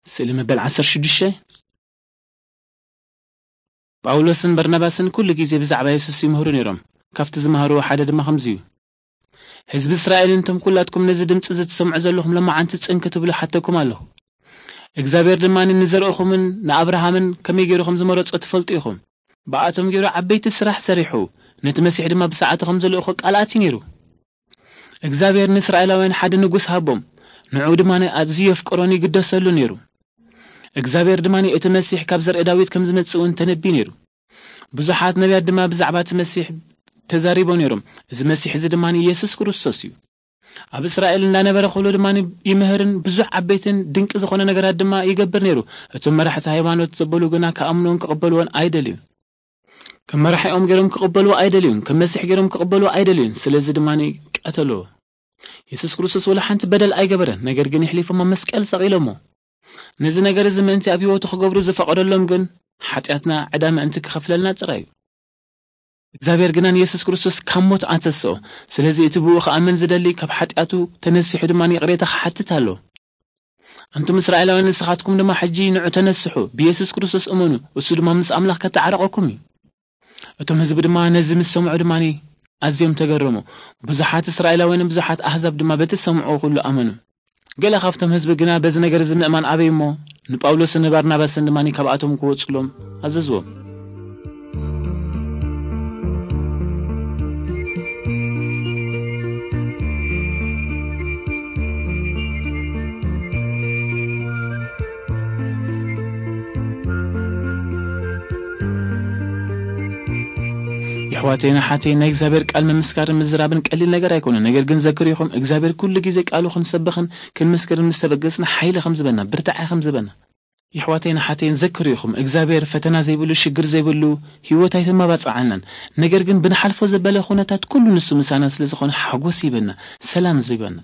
ስእሊ መበል ዓሰርተ ሽዱሽተ። ጳውሎስን በርናባስን ኩሉ ግዜ ብዛዕባ የሱስ ይምህሩ ነይሮም። ካብቲ ዝመሃርዎ ሓደ ድማ ከምዚ እዩ። ህዝቢ እስራኤልን እቶም ኩላትኩም ነዚ ድምጺ እዚ ትሰምዑ ዘለኹም ሎማዓንቲ ጽን ክትብሉ ሓተኩም ኣለኹ። እግዚኣብሔር ድማ ንዘርእኹምን ንኣብርሃምን ከመይ ገይሩ ከም ዝመረጾ ትፈልጡ ኢኹም። ብኣቶም ገይሩ ዓበይቲ ስራሕ ሰሪሑ፣ ነቲ መሲሕ ድማ ብሰዓቱ ከም ዝልእኾ ቃል ኣትዩ ነይሩ። እግዚኣብሔር ንእስራኤላውያን ሓደ ንጉስ ሃቦም። ንዕኡ ድማ ኣዝዩ የፍቅሮን ይግደሰሉ ነይሩ። እግዚኣብሔር ድማ እቲ መሲሕ ካብ ዘርኢ ዳዊት ከም ዝመጽእ እውን ተነብዩ ነይሩ። ብዙሓት ነቢያት ድማ ብዛዕባ እቲ መሲሕ ተዛሪቦ ነይሮም። እዚ መሲሕ እዚ ድማ የሱስ ክርስቶስ እዩ። ኣብ እስራኤል እንዳነበረ ኩሉ ድማ ይምህርን ብዙሕ ዓበይትን ድንቂ ዝኾነ ነገራት ድማ ይገብር ነይሩ። እቶም መራሕቲ ሃይማኖት ዘበሉ ግና ክኣምኑን ክቕበልዎን ኣይደልዩን። ከም መራሒኦም ገይሮም ክቕበልዎ ኣይደልዩን፣ ከም መሲሕ ገይሮም ክቕበልዎ ኣይደልዩን። ስለዚ ድማ ቀተልዎ። የሱስ ክርስቶስ ወላ ሓንቲ በደል ኣይገበረን፣ ነገር ግን የሕሊፎም ኣብ መስቀል ሰቒሎሞ። ነዚ ነገር እዚ ምእንቲ ኣብ ህይወቱ ክገብሩ ዝፈቐደሎም ግን ሓጢኣትና ዕዳ ምእንቲ ክኸፍለልና ጥራይ እዩ። እግዚኣብሔር ግና ንየሱስ ክርስቶስ ካብ ሞት ኣተስኦ። ስለዚ እቲ ብኡ ክኣምን ዝደሊ ካብ ሓጢኣቱ ተነሲሑ ድማ ይቕሬታ ክሓትት ኣሎ። ኣንቱም እስራኤላውያን ንስኻትኩም ድማ ሕጂ ንዑ ተነስሑ፣ ብየሱስ ክርስቶስ እመኑ፣ እሱ ድማ ምስ ኣምላኽ ከተዓርቐኩም እዩ። እቶም ህዝቢ ድማ ነዚ ምስ ሰምዑ ድማ ኣዝዮም ተገረሙ። ብዙሓት እስራኤላውያንን ብዙሓት ኣህዛብ ድማ በቲ ዝሰምዑ ኩሉ ኣመኑ። ገለ ካብቶም ህዝቢ ግና በዚ ነገር እዚ ምእማን ኣበይ እሞ ንጳውሎስን ንባርናባስን ድማ ካብኣቶም ክወጹሎም ኣዘዝዎም። የሕዋተይን ኣሓተይን፣ ናይ እግዚኣብሔር ቃል ምምስካርን ምዝራብን ቀሊል ነገር ኣይኮነን። ነገር ግን ዘክሩ ኢኹም፣ እግዚኣብሔር ኩሉ ግዜ ቃሉ ክንሰብኽን ክንምስክርን ምስ ተበገጽና ሓይሊ ከም ዝበና፣ ብርታዐ ከም ዝበና። የሕዋተይን ኣሓተይን፣ ዘክሩ ኢኹም፣ እግዚኣብሔር ፈተና ዘይብሉ፣ ሽግር ዘይብሉ ህይወት ኣይተመባጽዓናን። ነገር ግን ብንሓልፎ ዘበለ ኩነታት ኩሉ ንሱ ምሳና ስለ ዝኾነ ሓጎስ ይበና፣ ሰላም ይበና።